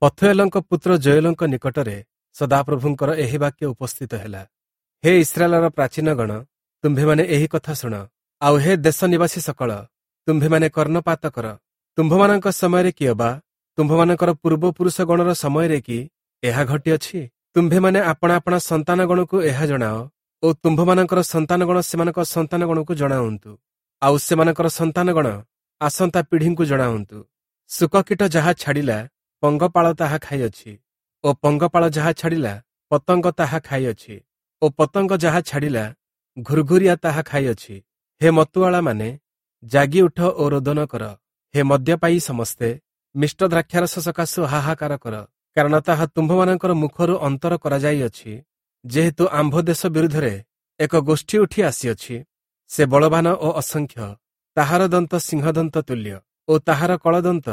ପଥୁଏଲଙ୍କ ପୁତ୍ର ଯୋୟେଲଙ୍କ ନିକଟରେ ସଦାପ୍ରଭୁଙ୍କର ଏହି ବାକ୍ୟ ଉପସ୍ଥିତ ହେଲା। ହେ ଇସ୍ରାଏଲର ପ୍ରାଚୀନଗଣ, ତୁମ୍ଭେମାନେ ଏହି କଥା ଶୁଣ, ଆଉ ହେ ଦେଶ ନିବାସୀ ସକଳ, ତୁମ୍ଭେମାନେ କର୍ଣ୍ଣପାତ କର। ତୁମ୍ଭମାନଙ୍କ ସମୟରେ କି ଅବା ତୁମ୍ଭମାନଙ୍କର ପୂର୍ବପୁରୁଷଗଣର ସମୟରେ କି ଏହା ଘଟିଅଛି? ତୁମ୍ଭେମାନେ ଆପଣା ଆପଣା ସନ୍ତାନଗଣକୁ ଏହା ଜଣାଅ ଓ ତୁମ୍ଭମାନଙ୍କର ସନ୍ତାନଗଣ ସେମାନଙ୍କ ସନ୍ତାନଗଣକୁ ଜଣାଉନ୍ତୁ, ଆଉ ସେମାନଙ୍କର ସନ୍ତାନଗଣ ଆସନ୍ତା ପିଢ଼ିଙ୍କୁ ଜଣାଉନ୍ତୁ। ଶୁକକୀଟ ଯାହା ଛାଡ଼ିଲା, ପଙ୍ଗପାଳ ତାହା ଖାଇଅଛି, ଓ ପଙ୍ଗପାଳ ଯାହା ଛାଡ଼ିଲା, ପତଙ୍ଗ ତାହା ଖାଇଅଛି, ଓ ପତଙ୍ଗ ଯାହା ଛାଡ଼ିଲା, ଘୁର୍ଘୁରିଆ ତାହା ଖାଇଅଛି। ହେ ମତୁଆଳାମାନେ, ଜାଗି ଉଠ ଓ ରୋଦନ କର। ହେ ମଦ୍ୟପାୟୀ ସମସ୍ତେ, ମିଷ୍ଟ ଦ୍ରାକ୍ଷାରସ ସକାଶୁ ହାହାକାର କର, କାରଣ ତାହା ତୁମ୍ଭମାନଙ୍କର ମୁଖରୁ ଅନ୍ତର କରାଯାଇଅଛି। ଯେହେତୁ ଆମ୍ଭ ଦେଶ ବିରୁଦ୍ଧରେ ଏକ ଗୋଷ୍ଠୀ ଉଠି ଆସିଅଛି, ସେ ବଳବାନ ଓ ଅସଂଖ୍ୟ, ତାହାର ଦନ୍ତ ସିଂହଦନ୍ତ ତୁଲ୍ୟ ଓ ତାହାର କଳଦନ୍ତ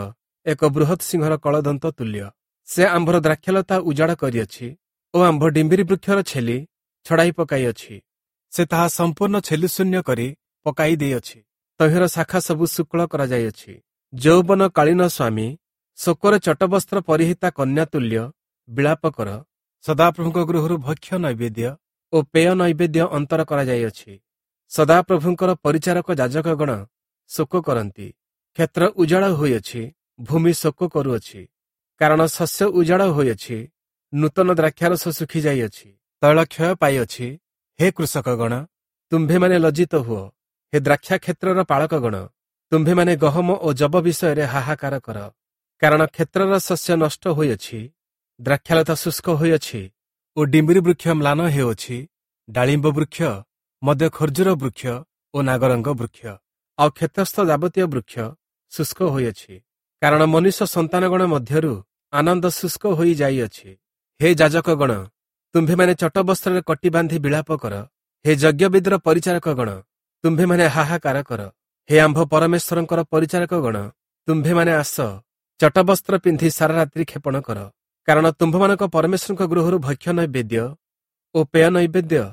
ଏକ ବୃହତ୍ ସିଂହର କଳଦନ୍ତ ତୁଲ୍ୟ। ସେ ଆମ୍ଭର ଦ୍ରାକ୍ଷାଲତା ଉଜାଡ଼ କରିଅଛି ଓ ଆମ୍ଭ ଡିମ୍ବିରି ବୃକ୍ଷର ଛେଲି ଛଡ଼ାଇ ପକାଇଅଛି। ସେ ତାହା ସମ୍ପୂର୍ଣ୍ଣ ଛେଲିଶୂନ୍ୟ କରି ପକାଇ ଦେଇଅଛି, ତହିଁର ଶାଖା ସବୁ ଶୁକ୍ଳ କରାଯାଇଅଛି। ଯୌବନ କାଳୀନ ସ୍ୱାମୀ ଶୋକରେ ଚଟବସ୍ତ୍ର ପରିହିତା କନ୍ୟା ତୁଲ୍ୟ ବିଳାପ କର। ସଦାପ୍ରଭୁଙ୍କ ଗୃହରୁ ଭକ୍ଷ୍ୟ ନୈବେଦ୍ୟ ଓ ପେୟ ନୈବେଦ୍ୟ ଅନ୍ତର କରାଯାଇଅଛି। ସଦାପ୍ରଭୁଙ୍କର ପରିଚାରକ ଯାଜକଗଣ ଶୋକ କରନ୍ତି। କ୍ଷେତ୍ର ଉଜାଡ଼ ହୋଇଅଛି, ଭୂମି ଶୋକ କରୁଅଛି, କାରଣ ଶସ୍ୟ ଉଜାଡ଼ ହୋଇଅଛି, ନୂତନ ଦ୍ରାକ୍ଷାରସ ଶୁଖି ଯାଇଅଛି, ତୈଳ କ୍ଷୟ ପାଇଅଛି। ହେ କୃଷକଗଣ, ତୁମ୍ଭେମାନେ ଲଜ୍ଜିତ ହୁଅ। ହେ ଦ୍ରାକ୍ଷା କ୍ଷେତ୍ରର ପାଳକଗଣ, ତୁମ୍ଭେମାନେ ଗହମ ଓ ଯବ ବିଷୟରେ ହାହାକାର କର, କାରଣ କ୍ଷେତ୍ରର ଶସ୍ୟ ନଷ୍ଟ ହୋଇଅଛି, ଦ୍ରାକ୍ଷାଲତା ଶୁଷ୍କ ହୋଇଅଛି ଓ ଡିମ୍ବିରି ବୃକ୍ଷ ମ୍ଲାନ ହେଉଅଛି। ଡାଳିମ୍ବ ବୃକ୍ଷ ମଧ୍ୟ ଖର୍ଜୁର ବୃକ୍ଷ ଓ ନାଗରଙ୍ଗ ବୃକ୍ଷ ଆଉ କ୍ଷେତ୍ରସ୍ଥ ଯାବତୀୟ ବୃକ୍ଷ ଶୁଷ୍କ ହୋଇଅଛି, କାରଣ ମନୁଷ୍ୟ ସନ୍ତାନଗଣ ମଧ୍ୟରୁ ଆନନ୍ଦ ଶୁଷ୍କ ହୋଇ ଯାଇଅଛି। ହେ ଯାଜକଗଣ, ତୁମ୍ଭେମାନେ ଚଟବସ୍ତ୍ରରେ କଟି ବାନ୍ଧି ବିଳାପ କର। ହେ ଯଜ୍ଞବେଦୀର ପରିଚାରକଗଣ, ତୁମ୍ଭେମାନେ ହାହାକାର କର। ହେ ଆମ୍ଭ ପରମେଶ୍ୱରଙ୍କର ପରିଚାରକଗଣ, ତୁମ୍ଭେମାନେ ଆସ, ଚଟବସ୍ତ୍ର ପିନ୍ଧି ସାରା ରାତ୍ରି କ୍ଷେପଣ କର, କାରଣ ତୁମ୍ଭମାନଙ୍କ ପରମେଶ୍ୱରଙ୍କ ଗୃହରୁ ଭକ୍ଷ୍ୟ ନୈବେଦ୍ୟ ଓ ପେୟ ନୈବେଦ୍ୟ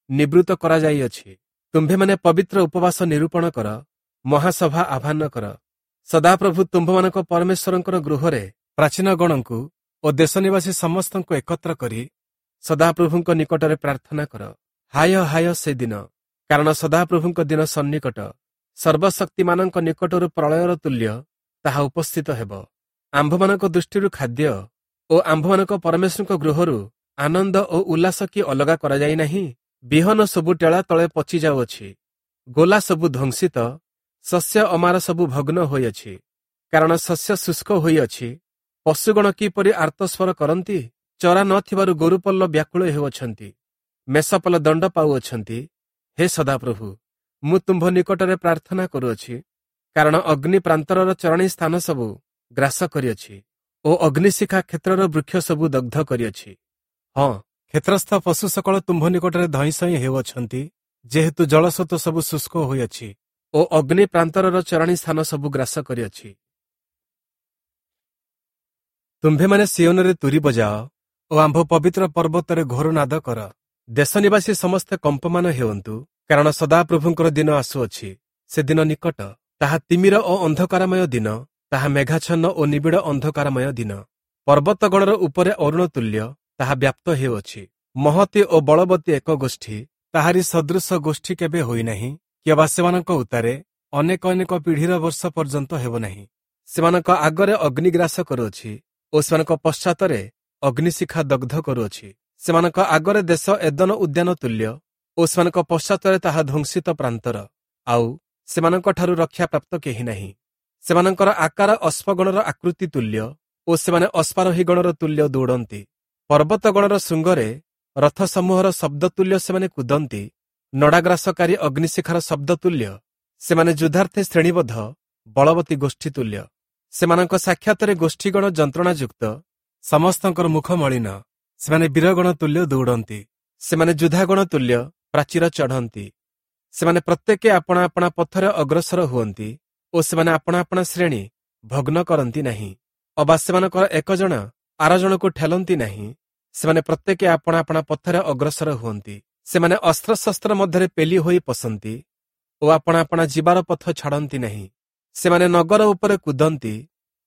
ନିବୃତ୍ତ କରାଯାଇଅଛି। ତୁମ୍ଭେମାନେ ପବିତ୍ର ଉପବାସ ନିରୂପଣ କର, ମହାସଭା ଆହ୍ୱାନ କର। ସଦାପ୍ରଭୁ ତୁମ୍ଭମାନଙ୍କ ପରମେଶ୍ୱରଙ୍କର ଗୃହରେ ପ୍ରାଚୀନଗଣଙ୍କୁ ଓ ଦେଶନିବାସୀ ସମସ୍ତଙ୍କୁ ଏକତ୍ର କରି ସଦାପ୍ରଭୁଙ୍କ ନିକଟରେ ପ୍ରାର୍ଥନା କର। ହାୟ ହାୟ ସେ ଦିନ, କାରଣ ସଦାପ୍ରଭୁଙ୍କ ଦିନ ସନ୍ନିକଟ। ସର୍ବଶକ୍ତିମାନଙ୍କ ନିକଟରୁ ପ୍ରଳୟର ତୁଲ୍ୟ ତାହା ଉପସ୍ଥିତ ହେବ। ଆମ୍ଭମାନଙ୍କ ଦୃଷ୍ଟିରୁ ଖାଦ୍ୟ ଓ ଆମ୍ଭମାନଙ୍କ ପରମେଶ୍ୱରଙ୍କ ଗୃହରୁ ଆନନ୍ଦ ଓ ଉଲ୍ଲାସ କି ଅଲଗା କରାଯାଇ ନାହିଁ? ବିହନ ସବୁ ଟେଳା ତଳେ ପଚି ଯାଉଅଛି, ଗୋଲା ସବୁ ଧ୍ୱଂସିତ, ଶସ୍ୟ ଅମାର ସବୁ ଭଗ୍ନ ହୋଇଅଛି, କାରଣ ଶସ୍ୟ ଶୁଷ୍କ ହୋଇଅଛି। ପଶୁଗଣ କିପରି ଆର୍ତ୍ତସ୍ୱର କରନ୍ତି? ଚରା ନଥିବାରୁ ଗୋରୁପଲ୍ଲ ବ୍ୟାକୁଳ ହେଉଅଛନ୍ତି, ମେଷପଲ ଦଣ୍ଡ ପାଉଅଛନ୍ତି। ହେ ସଦାପ୍ରଭୁ, ମୁଁ ତୁମ୍ଭ ନିକଟରେ ପ୍ରାର୍ଥନା କରୁଅଛି, କାରଣ ଅଗ୍ନି ପ୍ରାନ୍ତରର ଚରଣୀ ସ୍ଥାନ ସବୁ ଗ୍ରାସ କରିଅଛି ଓ ଅଗ୍ନିଶିଖା କ୍ଷେତ୍ରର ବୃକ୍ଷ ସବୁ ଦଗ୍ଧ କରିଅଛି। ହଁ, କ୍ଷେତ୍ରସ୍ଥ ପଶୁ ସକଳ ତୁମ୍ଭ ନିକଟରେ ଧଇଁସଇଁ ହେଉଅଛନ୍ତି, ଯେହେତୁ ଜଳସ୍ରୋତ ସବୁ ଶୁଷ୍କ ହୋଇଅଛି ଓ ଅଗ୍ନି ପ୍ରାନ୍ତରର ଚରଣୀ ସ୍ଥାନ ସବୁ ଗ୍ରାସ କରିଅଛି। ତୁମ୍ଭେମାନେ ସିୟୋନରେ ତୁରୀ ବଜାଅ ଓ ଆମ୍ଭ ପବିତ୍ର ପର୍ବତରେ ଘୋରନାଦ କର। ଦେଶ ନିବାସୀ ସମସ୍ତେ କମ୍ପମାନ ହେଉନ୍ତୁ, କାରଣ ସଦାପ୍ରଭୁଙ୍କର ଦିନ ଆସୁଅଛି, ସେ ଦିନ ନିକଟ। ତାହା ତିମିର ଓ ଅନ୍ଧକାରମୟ ଦିନ, ତାହା ମେଘାଚ୍ଛନ୍ନ ଓ ନିବିଡ଼ ଅନ୍ଧକାରମୟ ଦିନ। ପର୍ବତଗଣର ଉପରେ ଅରୁଣ ତୁଲ୍ୟ ତାହା ବ୍ୟାପ୍ତ ହେଉଅଛି। ମହତୀ ଓ ବଳବତୀ ଏକ ଗୋଷ୍ଠୀ, ତାହାରି ସଦୃଶ ଗୋଷ୍ଠୀ କେବେ ହୋଇନାହିଁ, କିମ୍ବା ସେମାନଙ୍କ ଉତ୍ତାରେ ଅନେକ ଅନେକ ପିଢ଼ିର ବର୍ଷ ପର୍ଯ୍ୟନ୍ତ ହେବ ନାହିଁ। ସେମାନଙ୍କ ଆଗରେ ଅଗ୍ନିଗ୍ରାସ କରୁଅଛି ଓ ସେମାନଙ୍କ ପଶ୍ଚାତରେ ଅଗ୍ନିଶିଖା ଦଗ୍ଧ କରୁଅଛି। ସେମାନଙ୍କ ଆଗରେ ଦେଶ ଏଦନ ଉଦ୍ୟାନ ତୁଲ୍ୟ ଓ ସେମାନଙ୍କ ପଶ୍ଚାତରେ ତାହା ଧ୍ୱଂସିତ ପ୍ରାନ୍ତର, ଆଉ ସେମାନଙ୍କଠାରୁ ରକ୍ଷାପ୍ରାପ୍ତ କେହି ନାହିଁ। ସେମାନଙ୍କର ଆକାର ଅଶ୍ମଗଣର ଆକୃତି ତୁଲ୍ୟ ଓ ସେମାନେ ଅଶ୍ୱାରୋହୀଗଣର ତୁଲ୍ୟ ଦୌଡ଼ନ୍ତି। ପର୍ବତଗଣର ଶୃଙ୍ଗରେ ରଥ ସମୂହର ଶବ୍ଦ ତୁଲ୍ୟ ସେମାନେ କୁଦନ୍ତି। ନଡ଼ାଗ୍ରାସକାରୀ ଅଗ୍ନିଶିଖାର ଶବ୍ଦ ତୁଲ୍ୟ ସେମାନେ ଯୁଦ୍ଧାର୍ଥେ ଶ୍ରେଣୀବଦ୍ଧ ବଳବତୀ ଗୋଷ୍ଠୀ ତୁଲ୍ୟ। ସେମାନଙ୍କ ସାକ୍ଷାତରେ ଗୋଷ୍ଠୀଗଣ ଯନ୍ତ୍ରଣାଯୁକ୍ତ, ସମସ୍ତଙ୍କର ମୁଖ ମଳିନ। ସେମାନେ ବୀରଗଣ ତୁଲ୍ୟ ଦୌଡ଼ନ୍ତି, ସେମାନେ ଯୋଦ୍ଧାଗଣ ତୁଲ୍ୟ ପ୍ରାଚୀର ଚଢ଼ନ୍ତି। ସେମାନେ ପ୍ରତ୍ୟେକେ ଆପଣା ଆପଣା ପଥରେ ଅଗ୍ରସର ହୁଅନ୍ତି ଓ ସେମାନେ ଆପଣା ଆପଣା ଶ୍ରେଣୀ ଭଗ୍ନ କରନ୍ତି ନାହିଁ, ଅବା ସେମାନଙ୍କର ଏକ ଜଣ ଆର ଜଣକୁ ଠେଲନ୍ତି ନାହିଁ। ସେମାନେ ପ୍ରତ୍ୟେକେ ଆପଣା ଆପଣା ପଥରେ ଅଗ୍ରସର ହୁଅନ୍ତି। ସେମାନେ ଅସ୍ତ୍ରଶସ୍ତ୍ର ମଧ୍ୟରେ ପେଲି ହୋଇ ପଶନ୍ତି ଓ ଆପଣା ଆପଣା ଯିବାର ପଥ ଛାଡ଼ନ୍ତି ନାହିଁ। ସେମାନେ ନଗର ଉପରେ କୁଦନ୍ତି,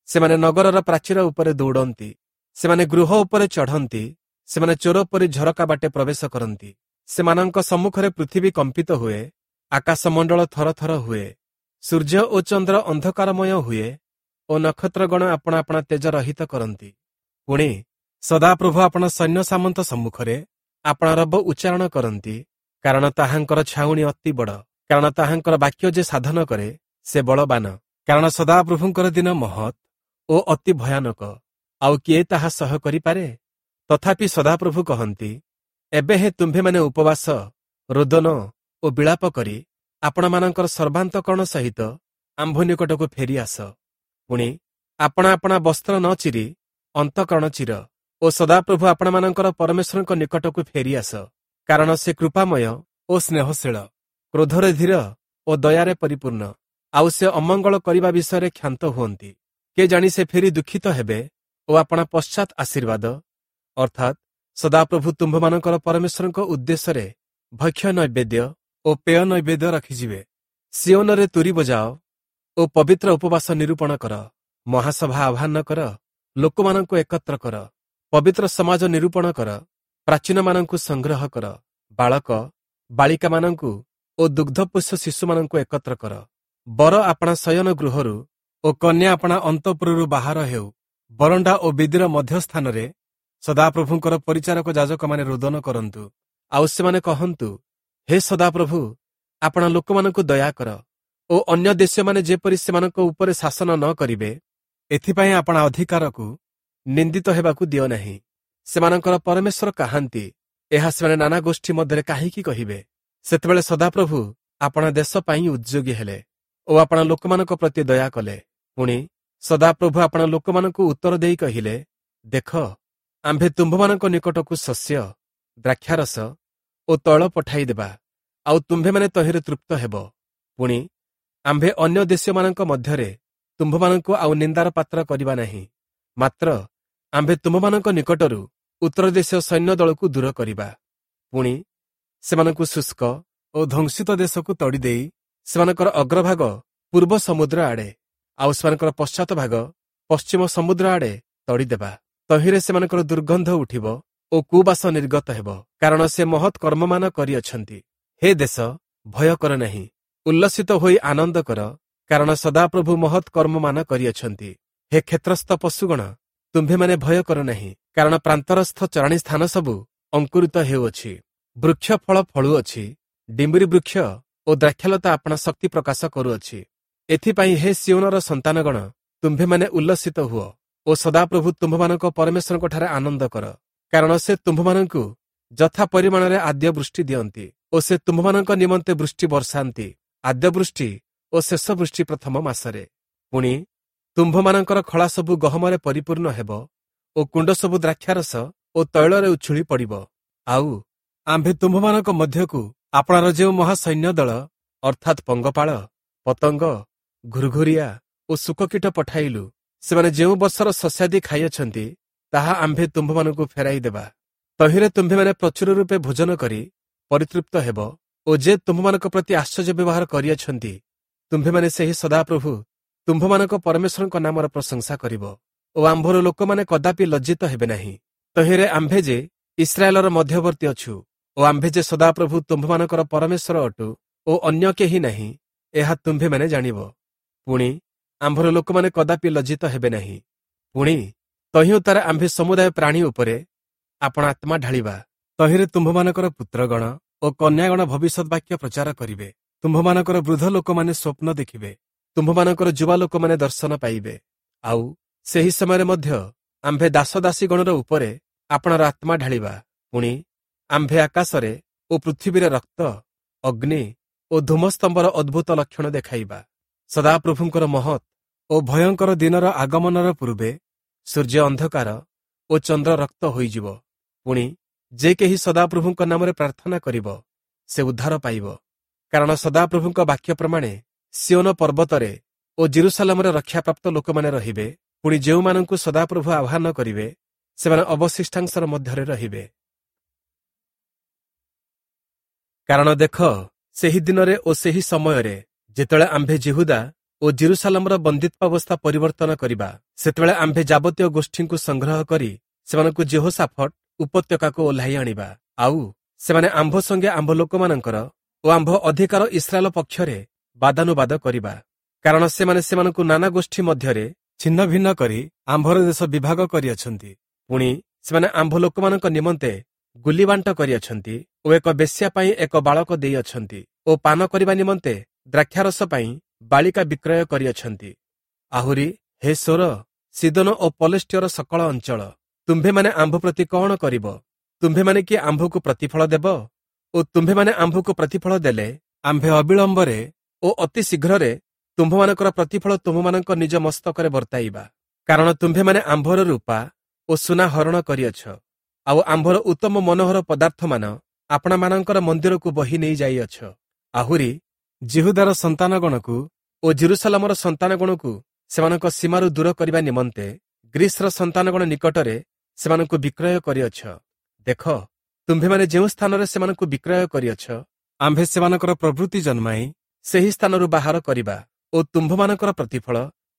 ସେମାନେ ନଗରର ପ୍ରାଚୀର ଉପରେ ଦୌଡ଼ନ୍ତି। ସେମାନେ ଗୃହ ଉପରେ ଚଢ଼ନ୍ତି, ସେମାନେ ଚୋର ପରି ଝରକା ବାଟେ ପ୍ରବେଶ କରନ୍ତି। ସେମାନଙ୍କ ସମ୍ମୁଖରେ ପୃଥିବୀ କମ୍ପିତ ହୁଏ, ଆକାଶମଣ୍ଡଳ ଥରଥର ହୁଏ, ସୂର୍ଯ୍ୟ ଓ ଚନ୍ଦ୍ର ଅନ୍ଧକାରମୟ ହୁଏ ଓ ନକ୍ଷତ୍ରଗଣ ଆପଣା ଆପଣା ତେଜ ରହିତ କରନ୍ତି। ପୁଣି ସଦାପ୍ରଭୁ ଆପଣା ସୈନ୍ୟ ସାମନ୍ତ ସମ୍ମୁଖରେ ଆପଣା ରବ ଉଚ୍ଚାରଣ କରନ୍ତି, କାରଣ ତାହାଙ୍କର ଛାଉଣି ଅତି ବଡ଼, କାରଣ ତାହାଙ୍କର ବାକ୍ୟ ଯେ ସାଧନ କରେ ସେ ବଳବାନ। କାରଣ ସଦାପ୍ରଭୁଙ୍କର ଦିନ ମହତ୍ ଓ ଅତି ଭୟାନକ, ଆଉ କିଏ ତାହା ସହ କରିପାରେ? ତଥାପି ସଦାପ୍ରଭୁ କହନ୍ତି, ଏବେ ହେଁ ତୁମ୍ଭେମାନେ ଉପବାସ, ରୋଦନ ଓ ବିଳାପ କରି ଆପଣମାନଙ୍କର ସର୍ବାନ୍ତକରଣ ସହିତ ଆମ୍ଭ ନିକଟକୁ ଫେରିଆସ। ପୁଣି ଆପଣା ଆପଣା ବସ୍ତ୍ର ନ ଚିରି ଅନ୍ତଃକରଣ ଚିର ଓ ସଦାପ୍ରଭୁ ଆପଣମାନଙ୍କର ପରମେଶ୍ୱରଙ୍କ ନିକଟକୁ ଫେରିଆସ, କାରଣ ସେ କୃପାମୟ ଓ ସ୍ନେହଶୀଳ, କ୍ରୋଧରେ ଧୀର ଓ ଦୟାରେ ପରିପୂର୍ଣ୍ଣ, ଆଉ ସେ ଅମଙ୍ଗଳ କରିବା ବିଷୟରେ କ୍ଷାନ୍ତ ହୁଅନ୍ତି। କେ ଜାଣି ସେ ଫେରି ଦୁଃଖିତ ହେବେ ଓ ଆପଣା ପଶ୍ଚାତ୍ ଆଶୀର୍ବାଦ, ଅର୍ଥାତ୍ ସଦାପ୍ରଭୁ ତୁମ୍ଭମାନଙ୍କର ପରମେଶ୍ୱରଙ୍କ ଉଦ୍ଦେଶ୍ୟରେ ଭକ୍ଷ୍ୟ ନୈବେଦ୍ୟ ଓ ପେୟ ନୈବେଦ୍ୟ ରଖିଯିବେ। ସିଓନରେ ତୁରୀ ବଜାଅ ଓ ପବିତ୍ର ଉପବାସ ନିରୂପଣ କର, ମହାସଭା ଆହ୍ୱାନ କର, ଲୋକମାନଙ୍କୁ ଏକତ୍ର କର, ପବିତ୍ର ସମାଜ ନିରୂପଣ କର, ପ୍ରାଚୀନମାନଙ୍କୁ ସଂଗ୍ରହ କର, ବାଳକ ବାଳିକାମାନଙ୍କୁ ଓ ଦୁଗ୍ଧପୋଷ୍ୟ ଶିଶୁମାନଙ୍କୁ ଏକତ୍ର କର। ବର ଆପଣା ଶୟନ ଗୃହରୁ ଓ କନ୍ୟା ଆପଣା ଅନ୍ତଃପୁରରୁ ବାହାର ହେଉ। ବରଣ୍ଡା ଓ ବେଦୀର ମଧ୍ୟସ୍ଥାନରେ ସଦାପ୍ରଭୁଙ୍କର ପରିଚାରକ ଯାଜକମାନେ ରୋଦନ କରନ୍ତୁ, ଆଉ ସେମାନେ କହନ୍ତୁ, ହେ ସଦାପ୍ରଭୁ, ଆପଣା ଲୋକମାନଙ୍କୁ ଦୟା କର ଓ ଅନ୍ୟ ଦେଶୀୟମାନେ ଯେପରି ସେମାନଙ୍କ ଉପରେ ଶାସନ ନ କରିବେ, ଏଥିପାଇଁ ଆପଣା ଅଧିକାରକୁ ନିନ୍ଦିତ ହେବାକୁ ଦିଅ ନାହିଁ। ସେମାନଙ୍କର ପରମେଶ୍ୱର କାହାନ୍ତି, ଏହା ସେମାନେ ନାନା ଗୋଷ୍ଠୀ ମଧ୍ୟରେ କାହିଁକି କହିବେ? ସେତେବେଳେ ସଦାପ୍ରଭୁ ଆପଣା ଦେଶ ପାଇଁ ଉଦ୍ଯୋଗୀ ହେଲେ ଓ ଆପଣା ଲୋକମାନଙ୍କ ପ୍ରତି ଦୟା କଲେ। ପୁଣି ସଦାପ୍ରଭୁ ଆପଣା ଲୋକମାନଙ୍କୁ ଉତ୍ତର ଦେଇ କହିଲେ, ଦେଖ, ଆମ୍ଭେ ତୁମ୍ଭମାନଙ୍କ ନିକଟକୁ ଶସ୍ୟ, ଦ୍ରାକ୍ଷାରସ ଓ ତୈଳ ପଠାଇଦେବା, ଆଉ ତୁମ୍ଭେମାନେ ତହିଁରେ ତୃପ୍ତ ହେବ। ପୁଣି ଆମ୍ଭେ ଅନ୍ୟ ଦେଶୀୟମାନଙ୍କ ମଧ୍ୟରେ ତୁମ୍ଭମାନଙ୍କୁ ଆଉ ନିନ୍ଦାର ପାତ୍ର କରିବା ନାହିଁ, ମାତ୍ର ଆମ୍ଭେ ତୁମ୍ଭମାନଙ୍କ ନିକଟରୁ ଉତ୍ତର ଦେଶୀୟ ସୈନ୍ୟ ଦଳକୁ ଦୂର କରିବା। ପୁଣି ସେମାନଙ୍କୁ ଶୁଷ୍କ ଓ ଧ୍ୱଂସିତ ଦେଶକୁ ତଡ଼ିଦେଇ ସେମାନଙ୍କର ଅଗ୍ରଭାଗ ପୂର୍ବ ସମୁଦ୍ର ଆଡ଼େ ଆଉ ସେମାନଙ୍କର ପଶ୍ଚାତ ଭାଗ ପଶ୍ଚିମ ସମୁଦ୍ର ଆଡ଼େ ତଡ଼ିଦେବା। ତହିଁରେ ସେମାନଙ୍କର ଦୁର୍ଗନ୍ଧ ଉଠିବ ଓ କୁବାସ ନିର୍ଗତ ହେବ, କାରଣ ସେ ମହତ୍ କର୍ମମାନ କରିଅଛନ୍ତି। ହେ ଦେଶ, ଭୟ କର ନାହିଁ, ଉଲ୍ଲସିତ ହୋଇ ଆନନ୍ଦ କର, କାରଣ ସଦାପ୍ରଭୁ ମହତ୍ କର୍ମମାନ କରିଅଛନ୍ତି। ହେ କ୍ଷେତ୍ରସ୍ଥ ପଶୁଗଣ, ତୁମ୍ଭେମାନେ ଭୟ କର ନାହିଁ, କାରଣ ପ୍ରାନ୍ତରସ୍ଥ ଚରାଣୀ ସ୍ଥାନ ସବୁ ଅଙ୍କୁରିତ ହେଉଅଛି, ବୃକ୍ଷ ଫଳ ଫଳୁଅଛି, ଡିମ୍ବିରି ବୃକ୍ଷ ଓ ଦ୍ରାକ୍ଷାଲତା ଆପଣା ଶକ୍ତି ପ୍ରକାଶ କରୁଅଛି। ଏଥିପାଇଁ ହେ ସିଓନର ସନ୍ତାନଗଣ, ତୁମ୍ଭେମାନେ ଉଲ୍ଲସିତ ହୁଅ ଓ ସଦାପ୍ରଭୁ ତୁମ୍ଭମାନଙ୍କ ପରମେଶ୍ୱରଙ୍କଠାରେ ଆନନ୍ଦ କର, କାରଣ ସେ ତୁମ୍ଭମାନଙ୍କୁ ଯଥା ପରିମାଣରେ ଆଦ୍ୟ ବୃଷ୍ଟି ଦିଅନ୍ତି ଓ ସେ ତୁମ୍ଭମାନଙ୍କ ନିମନ୍ତେ ବୃଷ୍ଟି ବର୍ଷାନ୍ତି, ଆଦ୍ୟ ବୃଷ୍ଟି ଓ ଶେଷ ବୃଷ୍ଟି ପ୍ରଥମ ମାସରେ। ପୁଣି ତୁମ୍ଭମାନଙ୍କର ଖଳା ସବୁ ଗହମରେ ପରିପୂର୍ଣ୍ଣ ହେବ ଓ କୁଣ୍ଡ ସବୁ ଦ୍ରାକ୍ଷାରସ ଓ ତୈଳରେ ଉଛୁଳି ପଡ଼ିବ। ଆଉ ଆମ୍ଭେ ତୁମ୍ଭମାନଙ୍କ ମଧ୍ୟକୁ ଆପଣାର ଯେଉଁ ମହାସୈନ୍ୟ ଦଳ, ଅର୍ଥାତ୍ ପଙ୍ଗପାଳ, ପତଙ୍ଗ, ଘୁରଘୁରିଆ ଓ ଶୁକକୀଟ ପଠାଇଲୁ, ସେମାନେ ଯେଉଁ ବର୍ଷର ଶସ୍ୟାଦି ଖାଇଅଛନ୍ତି, ତାହା ଆମ୍ଭେ ତୁମ୍ଭମାନଙ୍କୁ ଫେରାଇ ଦେବା। ତହିଁରେ ତୁମ୍ଭେମାନେ ପ୍ରଚୁର ରୂପେ ଭୋଜନ କରି ପରିତୃପ୍ତ ହେବ ଓ ଯେ ତୁମ୍ଭମାନଙ୍କ ପ୍ରତି ଆଶ୍ଚର୍ଯ୍ୟ ବ୍ୟବହାର କରିଅଛନ୍ତି, ତୁମ୍ଭେମାନେ ସେହି ସଦାପ୍ରଭୁ ତୁମ୍ଭମାନଙ୍କ ପରମେଶ୍ୱରଙ୍କ ନାମର ପ୍ରଶଂସା କରିବ ଓ ଆମ୍ଭର ଲୋକମାନେ କଦାପି ଲଜ୍ଜିତ ହେବେ ନାହିଁ। ତହିଁରେ ଆମ୍ଭେ ଯେ ଇସ୍ରାଏଲର ମଧ୍ୟବର୍ତ୍ତୀ ଅଛୁ ଓ ଆମ୍ଭେ ଯେ ସଦାପ୍ରଭୁ ତୁମ୍ଭମାନଙ୍କର ପରମେଶ୍ୱର ଅଟୁ ଓ ଅନ୍ୟ କେହି ନାହିଁ, ଏହା ତୁମ୍ଭେମାନେ ଜାଣିବ। ପୁଣି ଆମ୍ଭର ଲୋକମାନେ କଦାପି ଲଜ୍ଜିତ ହେବେ ନାହିଁ। ପୁଣି ତହିଁ ଉତ୍ତାରେ ଆମ୍ଭେ ସମୁଦାୟ ପ୍ରାଣୀ ଉପରେ ଆପଣା ଆତ୍ମା ଢାଳିବା। ତହିଁରେ ତୁମ୍ଭମାନଙ୍କର ପୁତ୍ରଗଣ ଓ କନ୍ୟାଗଣ ଭବିଷ୍ୟତ ବାକ୍ୟ ପ୍ରଚାର କରିବେ, ତୁମ୍ଭମାନଙ୍କର ବୃଦ୍ଧ ଲୋକମାନେ ସ୍ୱପ୍ନ ଦେଖିବେ, ତୁମ୍ଭମାନଙ୍କର ଯୁବା ଲୋକମାନେ ଦର୍ଶନ ପାଇବେ। ଆଉ ସେହି ସମୟରେ ମଧ୍ୟ ଆମ୍ଭେ ଦାସଦାସୀଗଣର ଉପରେ ଆପଣାର ଆତ୍ମା ଢାଳିବା। ପୁଣି ଆମ୍ଭେ ଆକାଶରେ ଓ ପୃଥିବୀରେ ରକ୍ତ, ଅଗ୍ନି ଓ ଧୂମସ୍ତମ୍ଭର ଅଦ୍ଭୁତ ଲକ୍ଷଣ ଦେଖାଇବା। ସଦାପ୍ରଭୁଙ୍କର ମହତ୍ ଓ ଭୟଙ୍କର ଦିନର ଆଗମନର ପୂର୍ବେ ସୂର୍ଯ୍ୟ ଅନ୍ଧକାର ଓ ଚନ୍ଦ୍ର ରକ୍ତ ହୋଇଯିବ। ପୁଣି ଯେ କେହି ସଦାପ୍ରଭୁଙ୍କ ନାମରେ ପ୍ରାର୍ଥନା କରିବ, ସେ ଉଦ୍ଧାର ପାଇବ। କାରଣ ସଦାପ୍ରଭୁଙ୍କ ବାକ୍ୟ ପ୍ରମାଣେ ସିଓନ ପର୍ବତରେ ଓ ଜିରୁସାଲାମରେ ରକ୍ଷାପ୍ରାପ୍ତ ଲୋକମାନେ ରହିବେ। ପୁଣି ଯେଉଁମାନଙ୍କୁ ସଦାପ୍ରଭୁ ଆହ୍ୱାନ କରିବେ, ସେମାନେ ଅବଶିଷ୍ଟାଂଶର ମଧ୍ୟରେ ରହିବେ। କାରଣ ଦେଖ, ସେହି ଦିନରେ ଓ ସେହି ସମୟରେ ଯେତେବେଳେ ଆମ୍ଭେ ଯିହୁଦା ଓ ଓ ଯିରୂଶାଲମର ବନ୍ଦିତ୍ୱାବସ୍ଥା ପରିବର୍ତ୍ତନ କରିବା। ସେତେବେଳେ ଆମ୍ଭେ ଯାବତୀୟ ଗୋଷ୍ଠୀଙ୍କୁ ସଂଗ୍ରହ କରି ସେମାନଙ୍କୁ ଯିହୋଶାଫଟ ଉପତ୍ୟକାକୁ ଓହ୍ଲାଇ ଆଣିବା। ଆଉ ସେମାନେ ଆମ୍ଭ ସଙ୍ଗେ ଆମ୍ଭ ଲୋକମାନଙ୍କର ଓ ଆମ୍ଭ ଅଧିକାର ଇସ୍ରାଏଲ ପକ୍ଷରେ ବାଦାନୁବାଦ କରିବା। କାରଣ ସେମାନେ ସେମାନଙ୍କୁ ନାନା ଗୋଷ୍ଠୀ ମଧ୍ୟରେ ଛିନ୍ନ ଭିନ୍ନ କରି ଆମ୍ଭର ଦେଶ ବିଭାଗ କରିଅଛନ୍ତି। ପୁଣି ସେମାନେ ଆମ୍ଭ ଲୋକମାନଙ୍କ ନିମନ୍ତେ ଗୁଲିବାଣ୍ଟ କରିଅଛନ୍ତି ଓ ଏକ ବେଶ୍ୟା ପାଇଁ ଏକ ବାଳକ ଦେଇଅଛନ୍ତି ଓ ପାନ କରିବା ନିମନ୍ତେ ଦ୍ରାକ୍ଷାରସ ପାଇଁ ବାଳିକା ବିକ୍ରୟ କରିଅଛନ୍ତି। ଆହୁରି ହେ ସୋର, ସୀଦୋନ ଓ ପଲେଷ୍ଟିୟର ସକଳ ଅଞ୍ଚଳ, ତୁମ୍ଭେମାନେ ଆମ୍ଭ ପ୍ରତି କଣ କରିବ? ତୁମ୍ଭେମାନେ କି ଆମ୍ଭକୁ ପ୍ରତିଫଳ ଦେବ? ଓ ତୁମ୍ଭେମାନେ ଆମ୍ଭକୁ ପ୍ରତିଫଳ ଦେଲେ ଆମ୍ଭେ ଅବିଳମ୍ବରେ ଓ ଅତି ଶୀଘ୍ରରେ ତୁମ୍ଭମାନଙ୍କର ପ୍ରତିଫଳ ତୁମ୍ଭମାନଙ୍କ ନିଜ ମସ୍ତକରେ ବର୍ତ୍ତାଇବା। କାରଣ ତୁମ୍ଭେମାନେ ଆମ୍ଭର ରୂପା ଓ ସୁନା ହରଣ କରିଅଛ, ଆଉ ଆମ୍ଭର ଉତ୍ତମ ମନୋହର ପଦାର୍ଥମାନ ଆପଣାମାନଙ୍କର ମନ୍ଦିରକୁ ବହି ନେଇ ଯାଇଅଛ। ଆହୁରି ଯିହୁଦାର ସନ୍ତାନଗଣକୁ ଓ ଯିରୂଶାଲମର ସନ୍ତାନଗଣକୁ ସେମାନଙ୍କ ସୀମାରୁ ଦୂର କରିବା ନିମନ୍ତେ ଗ୍ରୀସର ସନ୍ତାନଗଣ ନିକଟରେ ସେମାନଙ୍କୁ ବିକ୍ରୟ କରିଅଛ। ଦେଖ, ତୁମ୍ଭେମାନେ ଯେଉଁ ସ୍ଥାନରେ ସେମାନଙ୍କୁ ବିକ୍ରୟ କରିଅଛ, ଆମ୍ଭେ ସେମାନଙ୍କର ପ୍ରବୃତ୍ତି ଜନ୍ମାଇ ସେହି ସ୍ଥାନରୁ ବାହାର କରିବା ଓ ତୁମ୍ଭମାନଙ୍କର ପ୍ରତିଫଳ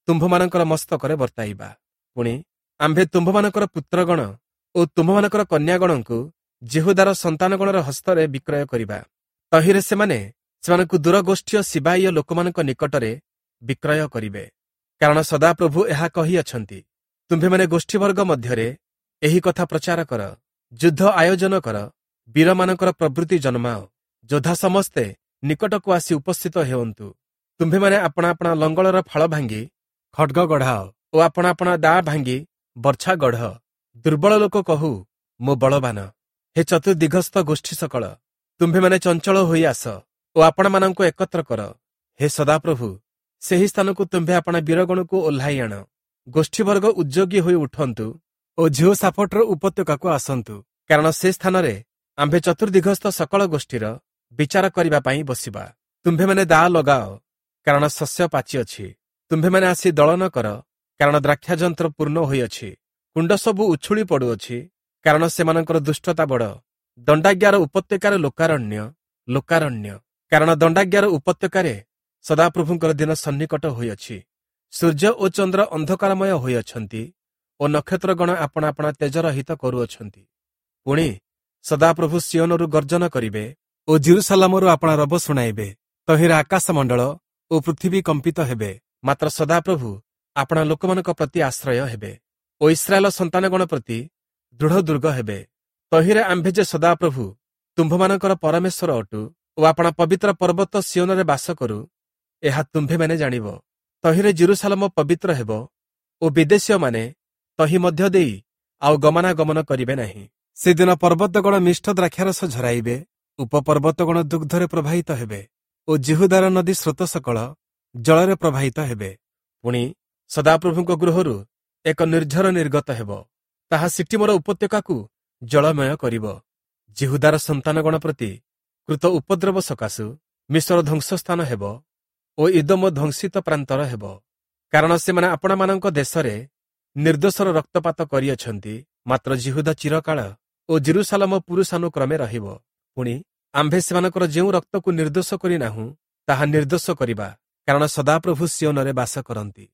ତୁମ୍ଭମାନଙ୍କର ମସ୍ତକରେ ବର୍ତ୍ତାଇବା। ପୁଣି ଆମ୍ଭେ ତୁମ୍ଭମାନଙ୍କର ପୁତ୍ରଗଣ ଓ ତୁମ୍ଭମାନଙ୍କର କନ୍ୟାଗଣଙ୍କୁ ଯିହୁଦାର ସନ୍ତାନଗଣର ହସ୍ତରେ ବିକ୍ରୟ କରିବା। ତହିଁରେ ସେମାନେ ସେମାନଙ୍କୁ ଦୂରଗୋଷ୍ଠୀୟ ସିବାଇୟ ଲୋକମାନଙ୍କ ନିକଟରେ ବିକ୍ରୟ କରିବେ। କାରଣ ସଦାପ୍ରଭୁ ଏହା କହିଅଛନ୍ତି, ତୁମ୍ଭେମାନେ ଗୋଷ୍ଠୀବର୍ଗ ମଧ୍ୟରେ ଏହି କଥା ପ୍ରଚାର କର, ଯୁଦ୍ଧ ଆୟୋଜନ କର, ବୀରମାନଙ୍କର ପ୍ରବୃତ୍ତି ଜନ୍ମାଅ, ଯୋଦ୍ଧା ସମସ୍ତେ ନିକଟକୁ ଆସି ଉପସ୍ଥିତ ହେଉନ୍ତୁ। ତୁମ୍ଭେମାନେ ଆପଣା ଆପଣା ଲଙ୍ଗଳର ଫାଳ ଭାଙ୍ଗି ଖଡ୍ଗ ଗଢ଼ାଅ ଓ ଆପଣା ଆପଣା ଦାଆ ଭାଙ୍ଗି ବର୍ଚ୍ଛା ଗଢ଼। ଦୁର୍ବଳ ଲୋକ କହୁ, ମୁଁ ବଳବାନ। ହେ ଚତୁର୍ଦିଗସ୍ଥ ଗୋଷ୍ଠୀ ସକଳ, ତୁମ୍ଭେମାନେ ଚଞ୍ଚଳ ହୋଇ ଆସ ଓ ଆପଣମାନଙ୍କୁ ଏକତ୍ର କର। ହେ ସଦାପ୍ରଭୁ, ସେହି ସ୍ଥାନକୁ ତୁମ୍ଭେ ଆପଣା ବୀରଗଣକୁ ଓହ୍ଲାଇ ଆଣ। ଗୋଷ୍ଠୀବର୍ଗ ଉଦ୍ଯୋଗୀ ହୋଇ ଉଠନ୍ତୁ ଓ ଯିହୋଶାଫଟର ଉପତ୍ୟକାକୁ ଆସନ୍ତୁ। କାରଣ ସେ ସ୍ଥାନରେ ଆମ୍ଭେ ଚତୁର୍ଦିଗସ୍ଥ ସକଳ ଗୋଷ୍ଠୀର ବିଚାର କରିବା ପାଇଁ ବସିବା। ତୁମ୍ଭେମାନେ ଦାଆ ଲଗାଅ, କାରଣ ଶସ୍ୟ ପାଚିଅଛି। ତୁମ୍ଭେମାନେ ଆସି ଦଳନ କର, କାରଣ ଦ୍ରାକ୍ଷାଯନ୍ତ୍ର ପୂର୍ଣ୍ଣ ହୋଇଅଛି। କୁଣ୍ଡ ସବୁ ଉଛୁଳି ପଡୁଅଛି, କାରଣ ସେମାନଙ୍କର ଦୁଷ୍ଟତା ବଡ଼। ଦଣ୍ଡାଜ୍ଞାର ଉପତ୍ୟକାରେ ଲୋକାରଣ୍ୟ, ଲୋକାରଣ୍ୟ। କାରଣ ଦଣ୍ଡାଜ୍ଞାର ଉପତ୍ୟକାରେ ସଦାପ୍ରଭୁଙ୍କର ଦିନ ସନ୍ନିକଟ ହୋଇଅଛି। ସୂର୍ଯ୍ୟ ଓ ଚନ୍ଦ୍ର ଅନ୍ଧକାରମୟ ହୋଇଅଛନ୍ତି ଓ ନକ୍ଷତ୍ରଗଣ ଆପଣା ଆପଣା ତେଜରହିତ କରୁଅଛନ୍ତି। ପୁଣି ସଦାପ୍ରଭୁ ସିୟୋନରୁ ଗର୍ଜନ କରିବେ ଓ ଯିରୂଶାଲମରୁ ଆପଣା ରବ ଶୁଣାଇବେ। ତହିଁରେ ଆକାଶମଣ୍ଡଳ ଓ ପୃଥିବୀ କମ୍ପିତ ହେବେ। ମାତ୍ର ସଦାପ୍ରଭୁ ଆପଣା ଲୋକମାନଙ୍କ ପ୍ରତି ଆଶ୍ରୟ ହେବେ ଓ ଇସ୍ରାଏଲ ସନ୍ତାନଗଣ ପ୍ରତି ଦୃଢ଼ ଦୁର୍ଗ ହେବେ। ତହିଁରେ ଆମ୍ଭେ ଯେ ସଦାପ୍ରଭୁ ତୁମ୍ଭମାନଙ୍କର ପରମେଶ୍ୱର ଅଟୁ ଓ ଆପଣା ପବିତ୍ର ପର୍ବତ ସିୟୋନରେ ବାସ କରୁ, ଏହା ତୁମ୍ଭେମାନେ ଜାଣିବ। ତହିଁରେ ଯିରୂଶାଲମ ପବିତ୍ର ହେବ ଓ ବିଦେଶୀୟମାନେ ତହିଁ ମଧ୍ୟ ଦେଇ ଆଉ ଗମନାଗମନ କରିବେ ନାହିଁ। ସେଦିନ ପର୍ବତଗଣ ମିଷ୍ଟ ଦ୍ରାକ୍ଷାରସ ଝରାଇବେ, ଉପପର୍ବତଗଣ ଦୁଗ୍ଧରେ ପ୍ରବାହିତ ହେବେ ଓ ଯିହୁଦାର ନଦୀ ସ୍ରୋତ ସକଳ ଜଳରେ ପ୍ରବାହିତ ହେବେ। ପୁଣି ସଦାପ୍ରଭୁଙ୍କ ଗୃହରୁ ଏକ ନିର୍ଝର ନିର୍ଗତ ହେବ, ତାହା ସିଟିମର ଉପତ୍ୟକାକୁ ଜଳମୟ କରିବ। ଯିହୁଦାର ସନ୍ତାନଗଣ ପ୍ରତି କୃତ ଉପଦ୍ରବ ସକାଶୁ ମିଶର ଧ୍ୱଂସସ୍ଥାନ ହେବ ଓ ଇଦୋମ ଧ୍ୱଂସିତ ପ୍ରାନ୍ତର ହେବ। କାରଣ ସେମାନେ ଆପଣାମାନଙ୍କ ଦେଶରେ ନିର୍ଦ୍ଦୋଷର ରକ୍ତପାତ କରିଅଛନ୍ତି। ମାତ୍ର ଯିହୁଦା ଚିରକାଳ ଓ ଯିରୂଶାଲମ ପୁରୁଷାନୁକ୍ରମେ ରହିବ। ପୁଣି ଆମ୍ଭେ ସେମାନଙ୍କର ଯେଉଁ ରକ୍ତକୁ ନିର୍ଦ୍ଦୋଷ କରିନାହୁଁ, ତାହା ନିର୍ଦ୍ଦୋଷ କରିବା, କାରଣ ସଦାପ୍ରଭୁ ସିୟୋନରେ ବାସ କରନ୍ତି।